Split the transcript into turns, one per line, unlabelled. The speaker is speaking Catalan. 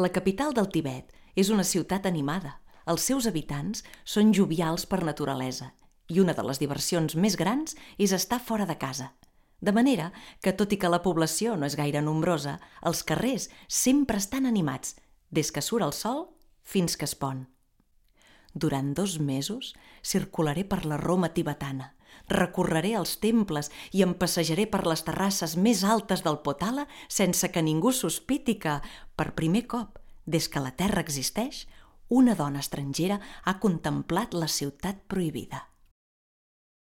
La capital del Tibet és una ciutat animada. Els seus habitants són jovials per naturalesa i una de les diversions més grans és estar fora de casa. De manera que, tot i que la població no és gaire nombrosa, els carrers sempre estan animats, des que surt el sol fins que es pon. Durant 2 mesos circularé per la Roma tibetana, recorreré els temples i em passejaré per les terrasses més altes del Potala sense que ningú sospiti que, per primer cop, des que la Terra existeix, una dona estrangera ha contemplat la ciutat prohibida.